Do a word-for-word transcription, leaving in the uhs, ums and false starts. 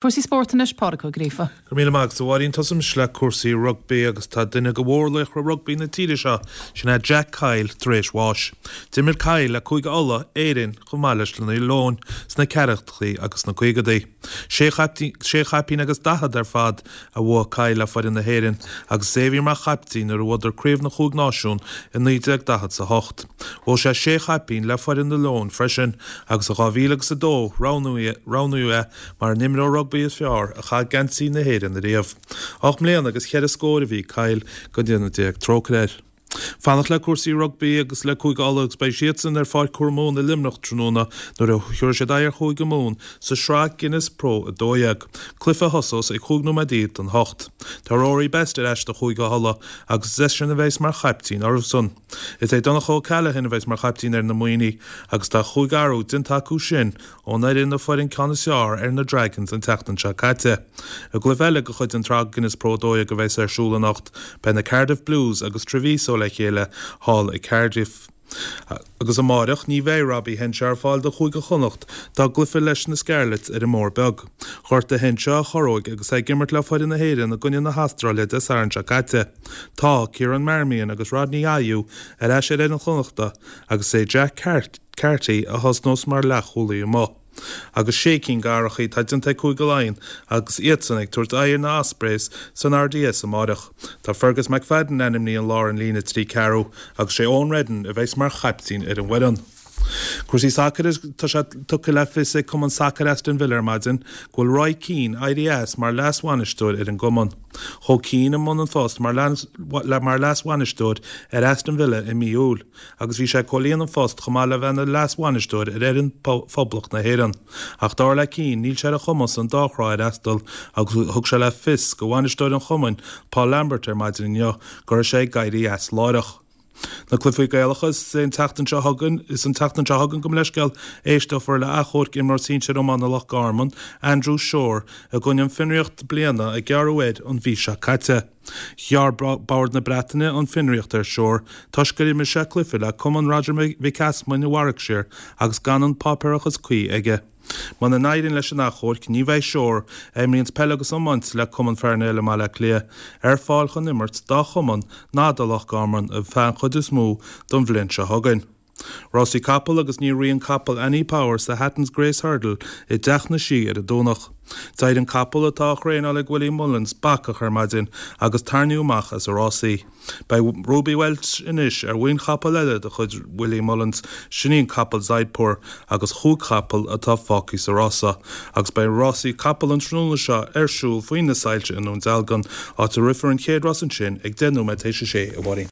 Cúrsaí spóirt anois, Pádraig Ó Gríofa. Go míle maith agat, a Mháirín. Tosaímis le cúrsaí rugbaí agus tá duine de mhórlaochra rugbaí na tíre seo, sin é Jack Kyle, tar éis bháis. D'imir Kyle le Cúige Uladh, Éirinn, chomh maith leis na Leoin sna ceathrachaidí agus sna caogaidí. Sé chaipín agus daichead ar fad a bhuaigh Kyle le foireann na hÉireann agus is é a bhí mar chaiptín nuair a bhuadar Craobh na Chúig Náisiún i naoi déag daichead is a hocht. Bhuaigh sé sé chaipín le foireann na Leon freisin agus i dhá mhíle agus a dó roghnaíodh é mar an imreoir rugbaí is fearr a chaith geansaí na hÉireann ariamh. Ocht mbliana agus cheithre scór a bhí Kyle, go ndéana Dia trócaire air. Fanacht le cúrsaí rugbaí agus le Cúige Uladh agus beidh siadsan ar Pháirc Thuar Mumhan i Luimneach tráthnóna nuair a thabharfaidh siad aghaidh ar Chúige Mumhan sa Sraith Guinness Pro a dó dhéag, cluiche a thosós ag chúig nóiméad don hocht. Tá Rory Best ar ais do Chúige Uladh agus is eisean a bheas mar chaiptín orthusan. Is é Donncha O'Callaghan a bheas mar chaiptín ar na Muimhnigh agus tá chúig athrú déanta acu sin ón fhoireann a fuair an ceann is fearr ar na Dragons an tseachtain seo caite. I gcluiche eile de chuid an tSraith Guinness Pro a dó dhéag a bheas ar siúl anocht, beidh na Cardiff Blues agus Treviso le chéile thall i Cardiff. Agus amáireach ní bheidh Robbie Henshaw ar fáil do Chúige Chonnacht dá gcluiche leis na Scarlets ar an mBóthar Beag. Ghortaigh Henshaw a chorróig agus é ag imirt le foireann na hÉireann i gcoinne na hAstráile Dé Sathairn seo caite. Tá Kieran Marmion agus Rodney Ayew ar ais ar fhoireann Chonnachta agus é Jack Carty a thosnós mar leathchúlaí amuigh. Agus sé cinn d'athruithe atá déanta ag Cúige Laighean agus iadsan ag tabhairt aghaidh ar na Ospreys san R D S amáireach. Tá Fergus McFadden ainmnithe i lár an líne trí ceathrú agus sé Eoin Reddan a bheas mar chaiptín ar an bhfoireann. Cúrsaí sacair. Tá sé tugtha le fios ag Cumann Sacair Aston Villa ar maidin go bhfuil Roy Keane éirithe as mar leas-bhainisteoir ar an gcumann. Chuaigh Keane i mbun an phost mar leas-bhainisteoir ar Aston Villa i mí Iúil, agus bhí sé ag comhlíonadh an phost chomh maith le bheith ina leas-bhainisteoir ar fhoireann Phoblacht na hÉireann. Ach dar le Keane níl sé ar a chumas an dá thrá a fhreastal agus thug sé le fios do bhainisteoir an chumainn Paul Lambert ar maidin inniu go raibh sé ag éirí as láithreach. Na cluichí Gaelacha. Is an tseachtain seo chugainn is an tseachtain seo chugainn gabh mo leithscéal éisteofar le achomharc imreoir sinsir iomána Loch Garman, Andrew Shore, i gcoinne an fionraíocht bliana a gearradh air an mhí seo caite. Ghearr Bord na Breataine an fionraíocht ar Shore toisc gur imir sé cluiche le Cumann Roger Mhic Easmainn i Warwickshire agus gan an páipéarachas cuí aige. Muna n-éiríonn leis an achomharc ní bheidh Shore, a imríonn peil agus iomáint le Cumann Fearnail i mBaile Átha Cliath, ar fáil chun imirt dá chumann ná do Loch Garman ar feadh an chuid is mó don bhliain seo chugainn. Rásaí capall agus níor rith an capall Annie Power sa Hatton's Grace Hurdle i dTeach na Sí ar an Domhnach. D'éirigh an capall atá á thraenáil ag Willie Mullins bacach ar maidin agus tarraingíodh amach as na rásaí. Beidh Ruby Welch anois ar mhuin chapall eile de chuid Willie Mullins, sin í an capall Zaidpour agus chúig chapall atá fágtha sa rása, agus beidh rásaí capall an tráthnóna seo ar siúl faoi na soilse i nDún Dealgan, áit a rithfear an chéad rás ansin ag deich nóiméad théis a sé, a Mháirín.